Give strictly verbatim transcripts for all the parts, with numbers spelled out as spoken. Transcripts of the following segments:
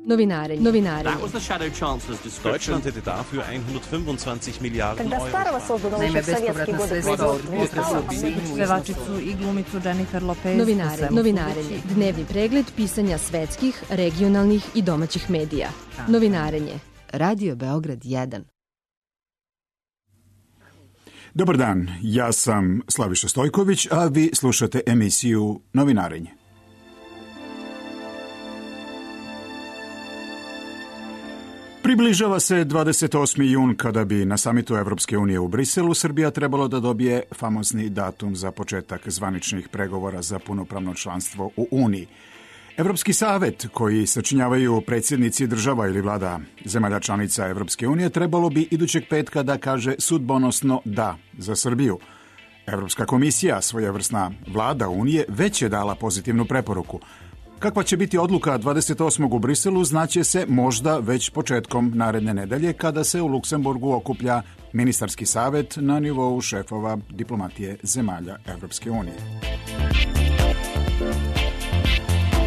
Novinarenje. Novinarenje. Deutschland hätte dafür hundertfünfundzwanzig Miliarden Euro. Naime, bespovratna sredstva od pevačicu i glumicu Jennifer Lopez. Novinarenje. Novinarenje. Dnevni pregled pisanja svetskih, regionalnih i domaćih medija. Novinarenje. Radio Beograd jedan. Dobar dan, ja sam Slaviša Stojković, a vi slušate emisiju Novinarenje. Približava se dvadeset osmi jun kada bi na samitu Evropske unije u Briselu Srbija trebalo da dobije famozni datum za početak zvaničnih pregovora za punopravno članstvo u Uniji. Evropski savet, koji sačinjavaju predsjednici država ili vlada zemalja članica Evropske unije, trebalo bi idućeg petka da kaže sudbonosno da za Srbiju. Evropska komisija, svojevrsna vlada Unije, već je dala pozitivnu preporuku. Kakva će biti odluka dvadeset osmog u Briselu znaće se možda već početkom naredne nedelje kada se u Luksemburgu okuplja ministarski savet na nivou šefova diplomatije zemalja Evropske unije.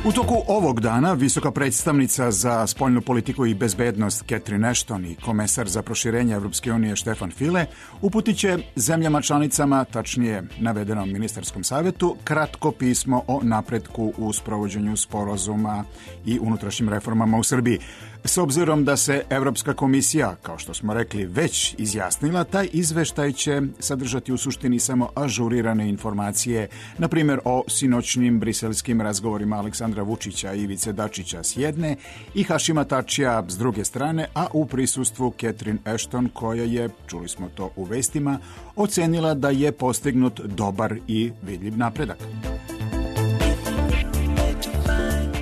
U toku ovog dana visoka predstavnica za spoljnu politiku i bezbednost Catherine Ashton i komesar za proširenje Evropske unije Stefan Füle uputit će zemljama članicama, tačnije navedenom ministarskom savetu, kratko pismo o napretku u sprovođenju sporazuma i unutrašnjim reformama u Srbiji. S obzirom da se Evropska komisija, kao što smo rekli, već izjasnila, taj izveštaj će sadržati u suštini samo ažurirane informacije, na primjer o sinoćnim briselskim razgovorima Aleksandra Vučića i Ivice Dačića s jedne i Hašima Tačija s druge strane, a u prisustvu Catherine Ashton, koja je, čuli smo to u vestima, ocenila da je postignut dobar i vidljiv napredak.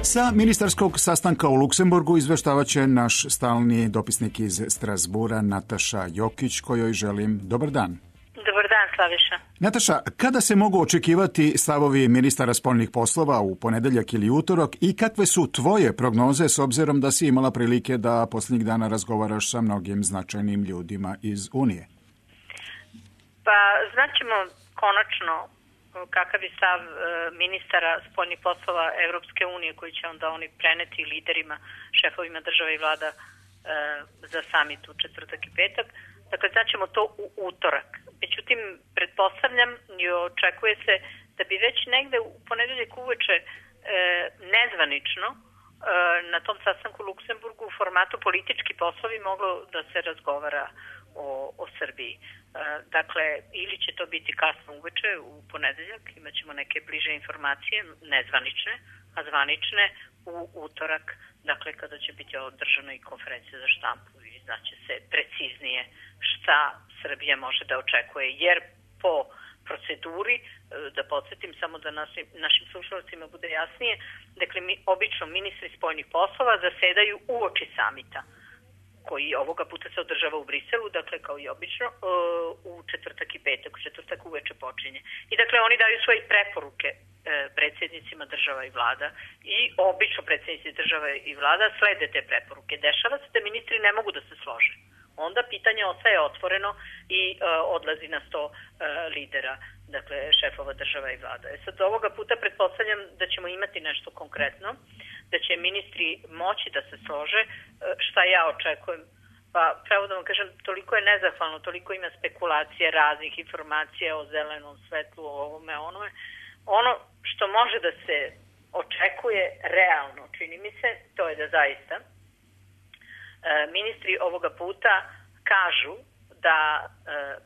Sa ministarskog sastanka u Luksemburgu izveštavat će naš stalni dopisnik iz Strasbura Nataša Jokić, kojoj želim dobar dan. Dobar dan, Slaviša. Nataša, kada se mogu očekivati stavovi ministara spoljnih poslova u ponedeljak ili utorak i kakve su tvoje prognoze s obzirom da si imala prilike da posljednjih dana razgovaraš sa mnogim značajnim ljudima iz Unije? Pa, znaćemo konačno kakav je stav e, ministara spoljnih poslova Evropske unije koji će onda oni preneti liderima, šefovima država i vlada e, za samit u četvrtak i petak. Dakle, znaćemo to u utorak. Međutim, pretpostavljam i očekuje se da bi već negde u ponedeljak uveče e, nezvanično e, na tom sastanku u Luksemburgu u formatu politički poslovi moglo da se razgovara o, o Srbiji. Dakle, ili će to biti kasno uveče u ponedeljak, imat ćemo neke bliže informacije, nezvanične, a zvanične u utorak, dakle kada će biti održana i konferencija za štampu i znaće se preciznije šta Srbija može da očekuje, jer po proceduri, da podsjetim samo da našim, našim slušalcima bude jasnije, dakle mi, obično ministri spoljnih poslova zasedaju uoči samita, koji ovoga puta se održava u Briselu, dakle kao i obično, u četvrtak i petak, u četvrtak uveče počinje. I dakle oni daju svoje preporuke predsjednicima država i vlada i obično predsjednici država i vlada slede te preporuke. Dešava se da ministri ne mogu da se slože. Onda pitanje ostaje otvoreno i uh, odlazi na sto uh, lidera, dakle šefova država i vlada. E sad ovoga puta pretpostavljam da ćemo imati nešto konkretno, da će ministri moći da se slože, uh, šta ja očekujem. Pa pravo da vam kažem, toliko je nezahvalno, toliko ima spekulacije, raznih informacija o zelenom svetlu, o ovome, onome. Ono što može da se očekuje realno, čini mi se, to je da zaista ministri ovoga puta kažu da e,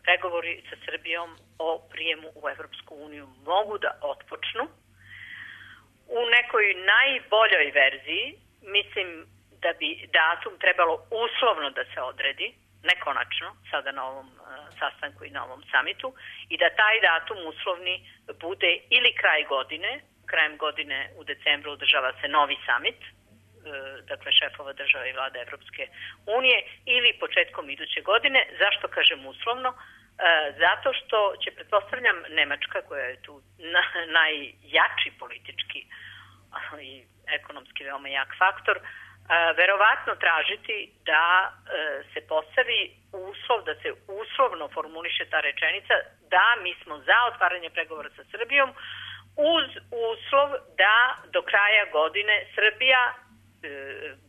pregovori sa Srbijom o prijemu u Evropsku uniju mogu da otpočnu. U nekoj najboljoj verziji mislim da bi datum trebalo uslovno da se odredi, ne konačno, sada na ovom e, sastanku i na ovom samitu, i da taj datum uslovni bude ili kraj godine, krajem godine u decembru održava se novi samit, dakle šefova država i vlada Evropske unije, ili početkom iduće godine. Zašto kažem uslovno? E, zato što će, pretpostavljam, Nemačka, koja je tu na, najjači politički i ekonomski veoma jak faktor, e, verovatno tražiti da e, se postavi uslov, da se uslovno formuliše ta rečenica da mi smo za otvaranje pregovora sa Srbijom uz uslov da do kraja godine Srbija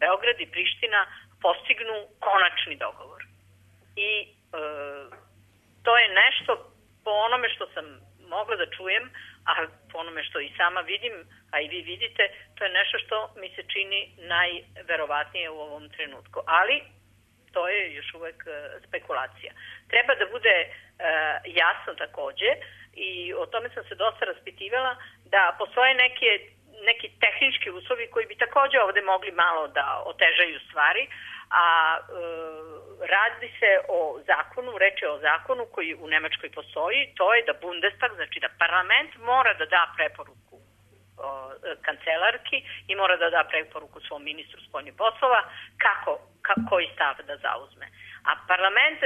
Beograd i Priština postignu konačni dogovor. I e, to je nešto po onome što sam mogla da čujem, a po onome što i sama vidim, a i vi vidite, to je nešto što mi se čini najverovatnije u ovom trenutku. Ali to je još uvek spekulacija. Treba da bude e, jasno takođe, i o tome sam se dosta raspitivala, da postoje neke, neki tehnički uslovi koji bi takođe ovde mogli malo da otežaju stvari, a e, radi se o zakonu, reč je o zakonu koji u Nemačkoj postoji, to je da Bundestag, znači da parlament mora da da preporuku o, kancelarki i mora da da preporuku svom ministru spoljnih poslova kako, ka, koji stav da zauzme. A parlament,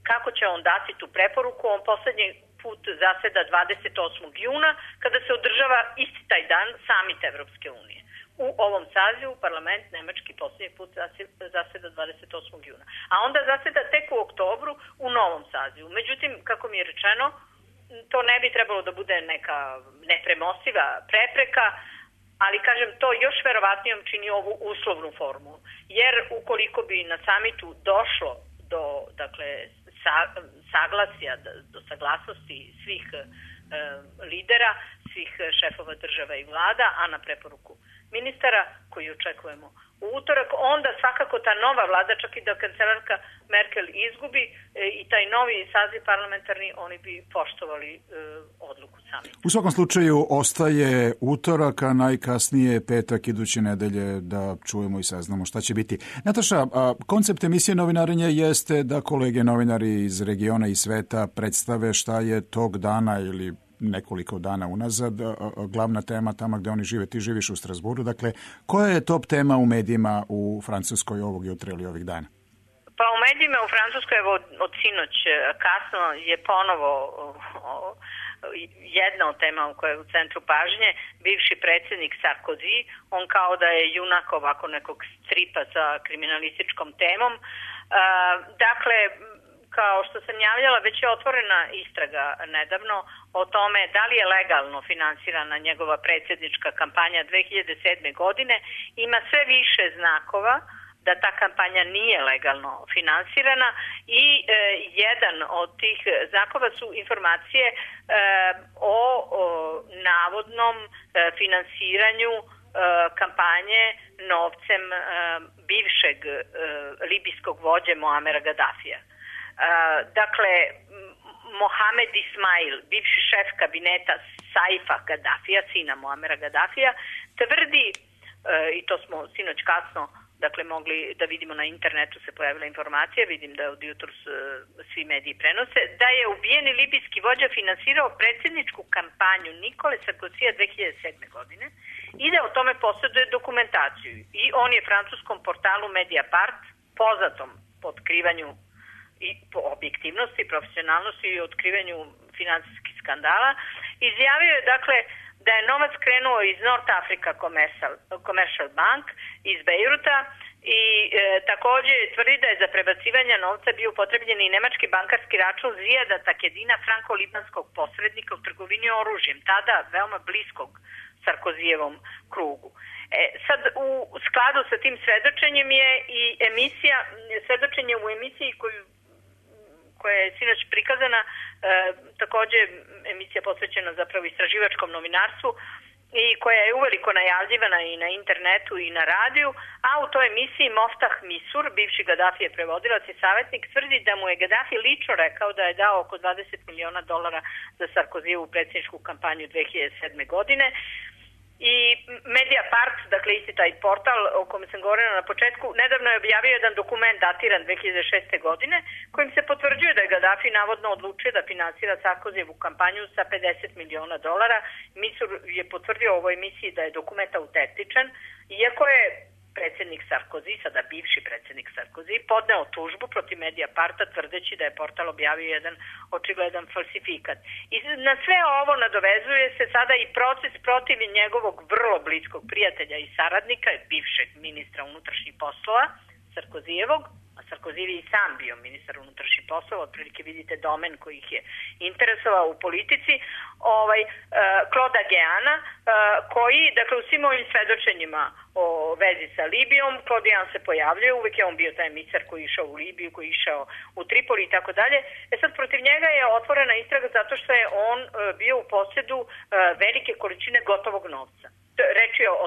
kako će on dati tu preporuku, on poslednji put zaseda dvadeset osmog juna, kada se održava isti taj dan samit Evropske unije. U ovom sazivu parlament nemački poslednji put zaseda dvadeset osmog juna. A onda zaseda tek u oktobru u novom sazivu. Međutim, kako mi je rečeno, to ne bi trebalo da bude neka nepremostiva prepreka, ali kažem, to još verovatnijom čini ovu uslovnu formu. Jer ukoliko bi na samitu došlo do, dakle, sa, saglasja, do saglasnosti svih e, lidera, svih šefova država i vlada, a na preporuku ministara koji očekujemo u utorak, onda svakako ta nova vlada, čak i da kancelarka Merkel izgubi e, i taj novi saziv parlamentarni, oni bi poštovali e, odluku sami. U svakom slučaju ostaje utorak, a najkasnije petak iduće nedelje da čujemo i saznamo šta će biti. Nataša, a, koncept emisije Novinarenje jeste da kolege novinari iz regiona i sveta predstave šta je tog dana ili nekoliko dana unazad glavna tema tamo gde oni žive. Ti živiš u Strasburu, dakle, koja je top tema u medijima u Francuskoj ovog jutra ili ovih dana? Pa u medijima u Francuskoj, evo, od sinoć kasno je ponovo o, o, jedna od tema koja je u centru pažnje, bivši predsjednik Sarkozy, on kao da je junak ovako nekog stripa sa kriminalističkom temom. E, dakle, kao što sam javljala, već je otvorena istraga nedavno o tome da li je legalno finansirana njegova predsjednička kampanja dve hiljade sedme. godine. Ima sve više znakova da ta kampanja nije legalno finansirana i e, jedan od tih znakova su informacije e, o, o navodnom e, finansiranju e, kampanje novcem e, bivšeg e, libijskog vođe Muamera Gadafija. Uh, dakle, Mohamed Ismail, bivši šef kabineta Saifa Gaddafija, sina Muamera Gaddafija, tvrdi, uh, i to smo sinoć kasno dakle, mogli da vidimo na internetu, se pojavila informacija, vidim da od jutros uh, svi mediji prenose, da je ubijeni libijski vođa finansirao predsjedničku kampanju Nikole Sarkozija dve hiljade sedme. godine i da o tome posjeduje dokumentaciju. I on je francuskom portalu Mediapart, poznatom po otkrivanju i po objektivnosti, profesionalnosti i otkrivanju finansijskih skandala, izjavio je, dakle, da je novac krenuo iz North Africa Commercial, Commercial Bank iz Bejruta i e, takođe tvrdi da je za prebacivanje novca bio upotrebljen i nemački bankarski račun Zijada Takedina, franko-libanskog posrednika u trgovini oružjem, tada veoma bliskog Sarkozijevom krugu. E, sad, u skladu sa tim svedočenjem je i emisija, svedočenje u emisiji koju koja je sinoć prikazana, e, takođe emisija posvećena zapravo istraživačkom novinarstvu i koja je uveliko najavljivana i na internetu i na radiju, a u toj emisiji Moftah Misur, bivši Gaddafijev prevodilac i savjetnik, tvrdi da mu je Gaddafi lično rekao da je dao oko dvadeset miliona dolara za Sarkozijevu predsjedničku kampanju dve hiljade sedme. godine. I Mediapart, dakle isti taj portal o kome sam govorila na početku, nedavno je objavio jedan dokument datiran dve hiljade šeste. godine kojim se potvrđuje da je Gaddafi navodno odlučio da finansira Sarkozijevu kampanju sa pedeset miliona dolara. Misur je potvrdio u ovoj emisiji da je dokument autentičan, iako je predsjednik Sarkozy, sada bivši predsjednik Sarkozy, podneo tužbu protiv Mediaparta tvrdeći da je portal objavio jedan očigledan falsifikat. I na sve ovo nadovezuje se sada i proces protiv njegovog vrlo bliskog prijatelja i saradnika, bivšeg ministra unutrašnjih poslova Sarkozijevog, a Sarkozy je i sam bio ministar unutrašnjih poslova, otprilike vidite domen koji ih je interesovao u politici, ovaj, Claude Aguiana, koji, dakle, u svim ovim svedočenjima o vezi sa Libijom, Claude Aguian se pojavljuje, uvek je on bio taj emisar koji je išao u Libiju, koji je išao u Tripoli i tako dalje. E sad, protiv njega je otvorena istraga zato što je on bio u posjedu velike količine gotovog novca. Reč je o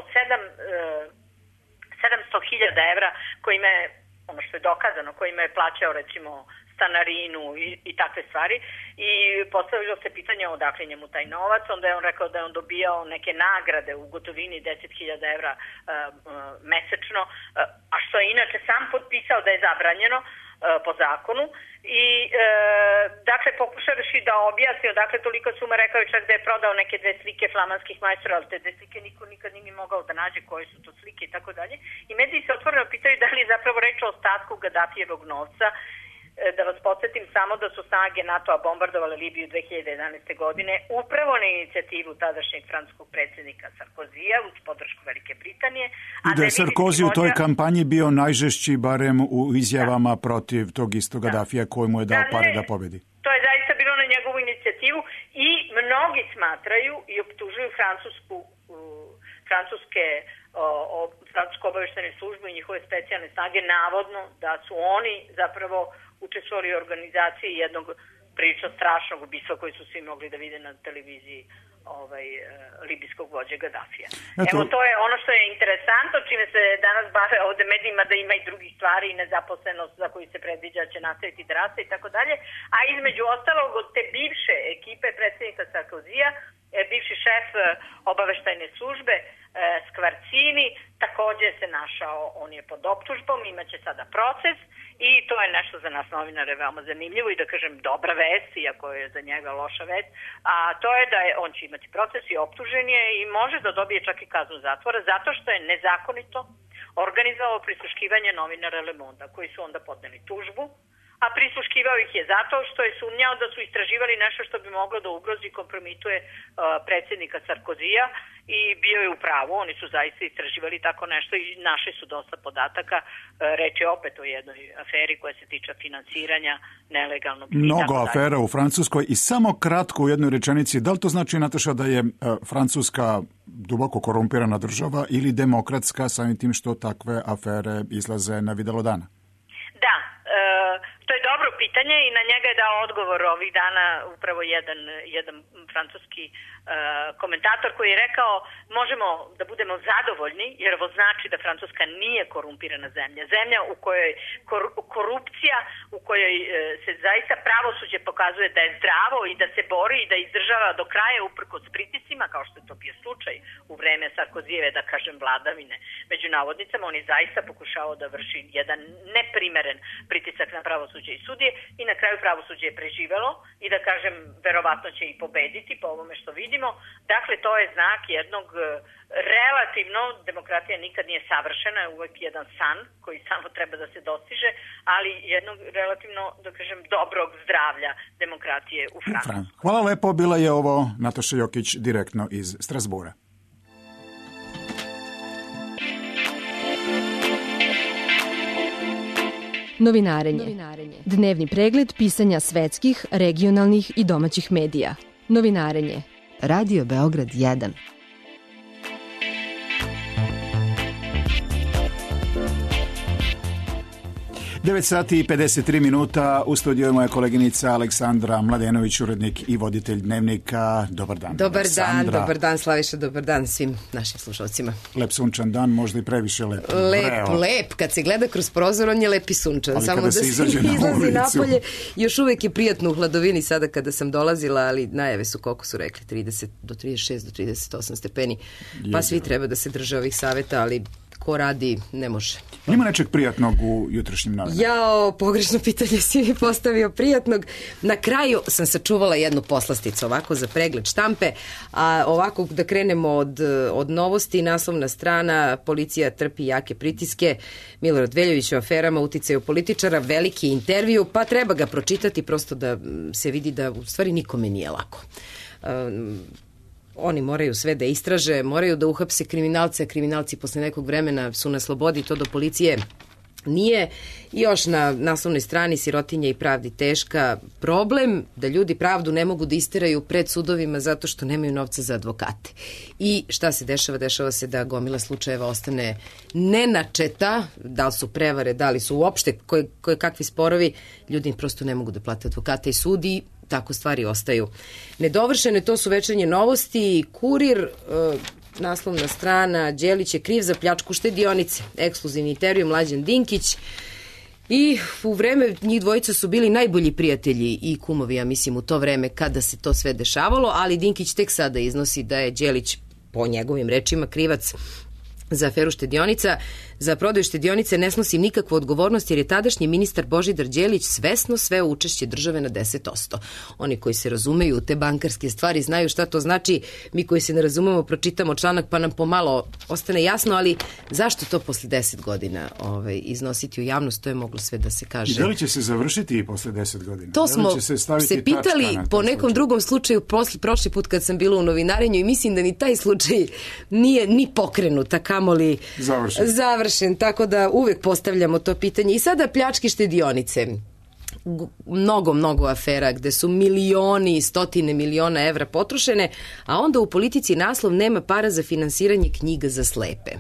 sedamsto hiljada evra kojima je, ono što je dokazano, kojima je plaćao recimo stanarinu i, i takve stvari i postavilo se pitanje odakle njemu taj novac, onda je on rekao da je on dobijao neke nagrade u gotovini deset hiljada evra uh, uh, mesečno, uh, a što je inače sam potpisao da je zabranjeno uh, po zakonu i uh, dakle pokušavaš da objasni odakle tolika suma, rekao je čak da je prodao neke dve slike flamanskih majstora, ali te dve slike niko nikad nije mogao da nađe koje su to slike i tako dalje. I mediji se otvoreno pitaju da li je zapravo reč o ostatku Gadafijevog novca. Da vas podsjetim samo da su snage NATO-a bombardovale Libiju dve hiljade jedanaeste. godine upravo na inicijativu tadašnjeg francuskog predsjednika Sarkozija uz podršku Velike Britanije. I da je Sarkozy u toj kampanji bio najžešći barem u izjavama da. protiv tog istog Gadafija koji mu je dao da, pare ne, da pobedi. To je zaista bilo na njegovu inicijativu i mnogi smatraju i optužuju francusku, uh, francuske o, o, francusku obaveštene službu i njihove specijalne snage navodno da su oni zapravo učestvovali u organizaciji jednog prilično strašnog ubistva koji su svi mogli da vide na televiziji ovaj, e, libijskog vođe Gadafija. Eto. Evo, to je ono što je interesantno, čime se danas bave ovde medijima, da ima i drugih stvari i nezaposlenost za koju se predviđa će nastaviti da raste i tako dalje. A između ostalog od te bivše ekipe predsjednika Sarkozija, e, bivši šef e, obaveštajne službe e, Skvarcini takođe se našao, on je pod optužbom, imaće sada proces. I to je nešto za nas novinare veoma zanimljivo i da kažem dobra vest, iako je za njega loša vest, a to je da je, on će imati proces i optužen je i može da dobije čak i kaznu zatvora zato što je nezakonito organizovao prisluškivanje novinara Le Monde, koji su onda podneli tužbu, a prisluškivao ih je zato što je sumnjao da su istraživali nešto što bi moglo da ugrozi i kompromituje uh, predsjednika Sarkozija i bio je u pravu, oni su zaista istraživali tako nešto i našli su dosta podataka, uh, reč je opet o jednoj aferi koja se tiče finansiranja nelegalnog. Mnogo afera u Francuskoj i samo kratko u jednoj rečenici, da li to znači, Nataša, da je uh, Francuska duboko korumpirana država ili demokratska samim tim što takve afere izlaze na videlo dana? Da, uh, to je dobro pitanje i na njega je dao odgovor ovih dana upravo jedan, jedan francuski uh, komentator koji je rekao možemo da budemo zadovoljni jer ovo znači da Francuska nije korumpirana zemlja. Zemlja u kojoj kor, korupcija, u kojoj uh, se zaista pravosuđe pokazuje da je zdravo i da se bori i da izdržava do kraja uprkos pritiscima, kao što je to bio slučaj u vreme Sarkozijeve, da kažem, vladavine. Među navodnicama on je zaista pokušao da vrši jedan neprimeren pritisak na pravosuđe i sudije i na kraju pravosuđe je preživelo i da kažem verovatno će i pobediti po ovome što vidimo. Dakle, to je znak jednog relativno, demokratija nikad nije savršena, je uvek jedan san koji samo treba da se dostiže, ali jednog relativno, da kažem, dobrog zdravlja demokratije u Francuskoj. Hvala lepo, bila je ovo Nataša Jokić direktno iz Strasbura. Novinarenje. Dnevni pregled pisanja svetskih, regionalnih i domaćih medija. Novinarenje. Radio Beograd jedan. devet sati i pedeset tri minuta, u studiju je moja koleginica Aleksandra Mladenović, urednik i voditelj Dnevnika. Dobar dan. Dobar Aleksandra. dan, dobar dan Slaviša, dobar dan svim našim slušalcima. Lep sunčan dan, možda i previše lep. Lep, Vreo. lep, kad se gleda kroz prozor on je lep i sunčan. Ali samo da se izađe na izlazi napolje, još uvek je prijatno u hladovini sada kada sam dolazila, ali najave su, koliko su rekli, trideset do trideset šest do trideset osam stepeni, pa je, svi treba da se drže ovih saveta, ali ko radi, ne može. Ima nečeg prijatnog u jutrašnjim novinama? Jao, pogrešno pitanje si mi postavio prijatnog. Na kraju sam sačuvala jednu poslasticu ovako za pregled štampe, a ovako da krenemo od, od novosti, naslovna strana, policija trpi jake pritiske, Milorad Veljović o aferama, uticaju političara, veliki intervju, pa treba ga pročitati prosto da se vidi da u stvari nikome nije lako. Um, Oni moraju sve da istraže, moraju da uhapse kriminalce, a kriminalci posle nekog vremena su na slobodi, to do policije nije. Još na naslovnoj strani sirotinja i pravdi teška, problem da ljudi pravdu ne mogu da isteraju pred sudovima zato što nemaju novca za advokate. I šta se dešava? Dešava se da gomila slučajeva ostane nenačeta, da li su prevare, da li su uopšte koje, koje kakvi sporovi, ljudi im prosto ne mogu da plate advokate i sudi, tako stvari ostaju nedovršene. To su Večernje novosti, Kurir, naslovna strana, Đelić je kriv za pljačku štedionice, ekskluzivni intervju Mlađan Dinkić. I u vreme njih dvojica su bili najbolji prijatelji i kumovi, ja mislim, u to vreme kada se to sve dešavalo, ali Dinkić tek sada iznosi da je Đelić, po njegovim rečima, krivac za aferu štedionica. Za prodaju štedionice ne snosi nikakvu odgovornost jer je tadašnji ministar Božidar Đelić svesno sveo učešće države na deset posto. Oni koji se razumeju u te bankarske stvari znaju šta to znači. Mi koji se ne razumemo pročitamo članak pa nam pomalo ostane jasno, ali zašto to posle deset godina ovaj, iznositi u javnost, to je moglo sve da se kaže. I da li će se završiti i posle deset godina? To smo se, se pitali po nekom slučaju. Drugom slučaju posle, prošli put kad sam bila u novinarenju i mislim da ni taj slučaj nije ni pokrenut, a kamoli završen. završen. Tako da uvek postavljamo to pitanje. I sada pljačke štedionice. Mnogo, mnogo afera gde su milioni i stotine miliona evra potrošene, a onda u politici naslov nema para za finansiranje knjiga za slepe.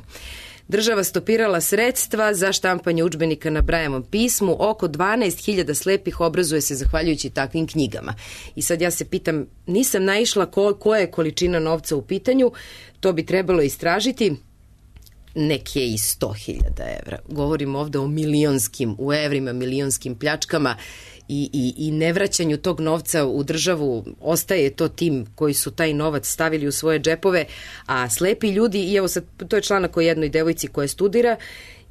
Država stopirala sredstva za štampanje udžbenika na Brajevom pismu. Oko dvanaest hiljada slepih obrazuje se zahvaljujući takvim knjigama. I sad ja se pitam, nisam naišla ko, koja je količina novca u pitanju, to bi trebalo istražiti. Neke i sto hiljada evra. Govorimo ovde o milionskim, u evrima, milionskim pljačkama i, i, i nevraćanju tog novca u državu. Ostaje to tim koji su taj novac stavili u svoje džepove, a slepi ljudi, i evo sad, to je članak o jednoj devojci koja studira,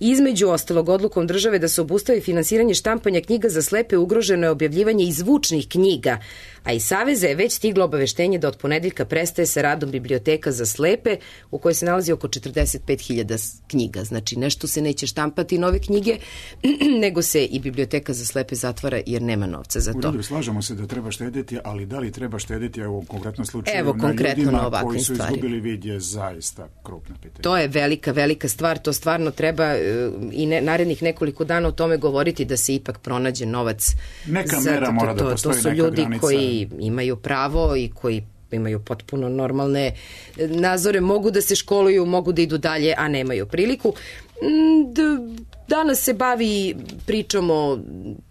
između ostalog odlukom države da se obustavi finansiranje štampanja knjiga za slepe, ugroženo je objavljivanje i zvučnih knjiga, a iz Saveza je već stiglo obaveštenje da od ponedeljka prestaje sa radom biblioteka za slepe u kojoj se nalazi oko četrdeset pet hiljada knjiga. Znači nešto se neće štampati nove knjige, nego se i biblioteka za slepe zatvara jer nema novca za to. U redu, slažemo se da treba štediti, ali da li treba štediti evo, u konkretnom slučaju evo, na konkretno ljudima na koji su stvari. Izgubili vid je zaista krupna pitanja. To je velika, velika stvar, to stvarno treba i ne, narednih nekoliko dana o tome govoriti da se ipak pronađe novac. Neka za, mera to, mora to, da postoji, to su neka ljudi granica. Koji imaju pravo i koji imaju potpuno normalne nadzore, mogu da se školuju, mogu da idu dalje, a nemaju priliku. Danas se bavi pričom o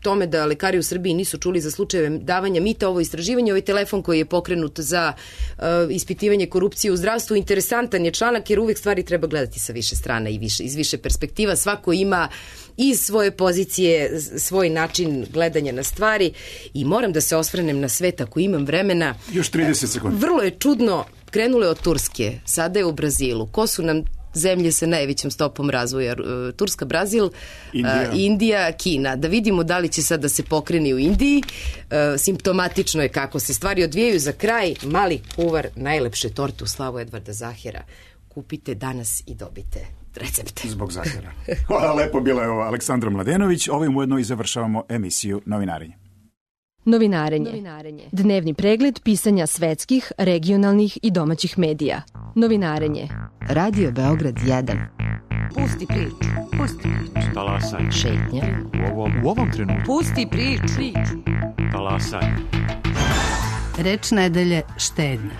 tome da lekari u Srbiji nisu čuli za slučajeve davanja mita. Ovo istraživanje, ovaj telefon koji je pokrenut za uh, ispitivanje korupcije u zdravstvu, interesantan je članak jer uvek stvari treba gledati sa više strana i više, iz više perspektiva. Svako ima iz svoje pozicije svoj način gledanja na stvari i moram da se osvrnem na svet ako imam vremena. Još trideset sekundi. Vrlo je čudno, krenulo je od Turske, sada je u Brazilu. Ko su nam zemlje sa najvećom stopom razvoja? Turska, Brazil, Indija. Indija, Kina. Da vidimo da li će sad da se pokreni u Indiji. Simptomatično je kako se stvari odvijaju. Za kraj, mali kuvar najlepše torte u slavu Edvarda Zahera. Kupite danas i dobite recept. Zbog Zahera. Hvala lepo, bila je ovo Aleksandra Mladenović. Ovim ujedno i završavamo emisiju Novinarenje. Novinarenje. Novinarenje. Dnevni pregled pisanja svetskih, regionalnih i domaćih medija. Novinarenje. Radio Beograd jedan. Pusti priču. Pusti priču. Talasaj. Šetnja. U ovom, u ovom trenutku. Pusti priču. Talasaj. Reč nedelje štednja.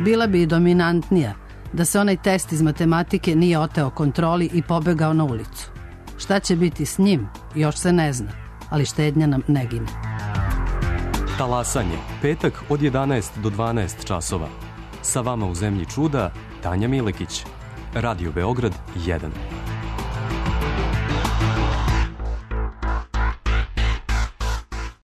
Bila bi i dominantnija da se onaj test iz matematike nije oteo kontroli i pobegao na ulicu. Šta će biti s njim, još se ne zna, ali štednja nam ne gine. Talasanje, petak od jedanaest do dvanaest časova. Sa vama u zemlji čuda, Tanja Milekić. Radio Beograd jedan.